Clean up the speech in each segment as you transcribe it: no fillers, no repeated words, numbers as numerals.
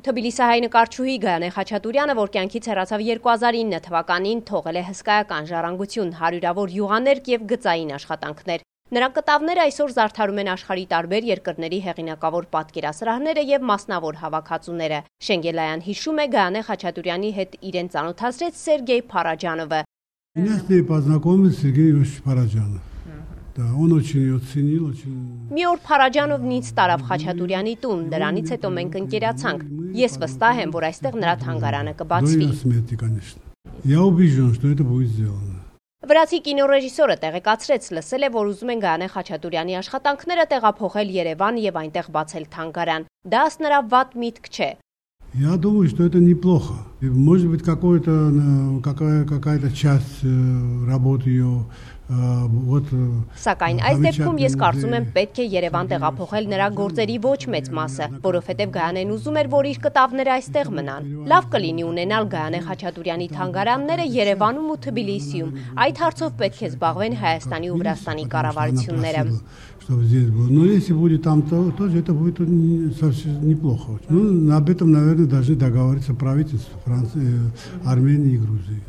Թբիլիսահայ նկարչուհի Գայանե Խաչատուրյանը, որ կյանքից հեռացավ 2009 թվականին, թողել է հսկայական ժառանգություն, հարյուրավոր յուղաներկ և գծային աշխատանքներ։ Նրա կտավները այսօր զարդարում են աշխարհի տարբեր երկրների հեղինակավոր պատկերասրահները և մասնավոր հավաքածուները։ Շենգելայան հիշում է, Գայանե Խաչատուրյանի հետ իրեն ծանոթացրեց Սերգեյ Փարաջանովը։ Меня с ней познакомил Сергей Ильич Параджанов. Да, он очень ее ценил, очень... Մի օր Փարաջանովն ինձ տարավ Խաչատուրյանի տուն, դրանից հետո մենք ընկերացանք։ Ես վստահ եմ, որ այստեղ նրա թանգարանը կբացվի։ Я убежден, что это будет сделано. Վրացի կինոռեժիսորը տեղեկացրեց, լսել է, որ ուզում են Գայանե Խաչատուրյանի աշխատանքները տեղափոխել Երևան եւ այնտեղ բացել թանգարան։ Դա ըստ նրա վատ միտք չէ։ Я думаю, что это неплохо. Может быть, какая-то часть работы ее Սակայն այս դեպքում ես կարծում եմ պետք է Երևան տեղափոխել նրա գործերի ոչ մեծ մասը, որովհետև Գայանեն ուզում էր, որ իր կտավները այստեղ մնան։ Լավ կլինի ունենալ Գայանե Խաչատուրյանի թանգարանները Երևանում ու Թբիլիսիում։ Այդ հարցով պետք է զբաղվեն Հայաստանի ու Վրաստանի կառավարությունները։ Но если будет там, то тоже это будет совсем неплохо. Ну, об этом, наверное, должны договориться правительства Франции, Армении и Грузии.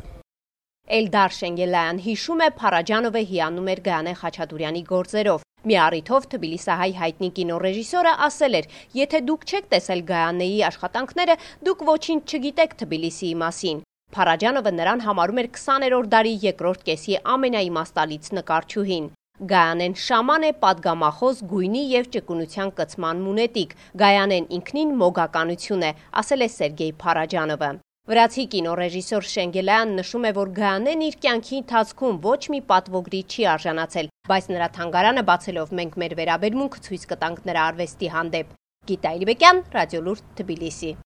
Էլդար Շենգելայան հիշում է, Փարաջանովը հիանում էր Գայանե Խաչատուրյանի գործերով։ Մի առիթով Թբիլիսահայ հայտնի կինոռեժիսորը ասել էր, եթե դուք չեք տեսել Գայանեի աշխատանքները, դուք ոչինչ չգիտեք Թբիլիսիի մասին։ Փարաջանովը նրան համարում էր 20-րդ դարի երկրորդ կեսի ամենաիմաստալից նկարչուհին։ Գայանեն շաման է, պատգամախոս, գույնի և ճկունության կցման մունետիկ։ Գայանեն ինքնին մոգականություն է, ասել է Սերգեյ Փարաջանովը։ Վրացի կինոռեժիսոր Շենգելայան նշում է, որ Գայանեն իր կյանքի ընթացքում ոչ մի պատվոգրի չի արժանացել, բայց նրա թանգարանը բացելով մենք մեր վերաբերմունքը ցույց կտանք նրա արվեստի հանդեպ։ Գիտա Իլբեկյան, Ռադիոլուրդ, Թբիլիսի։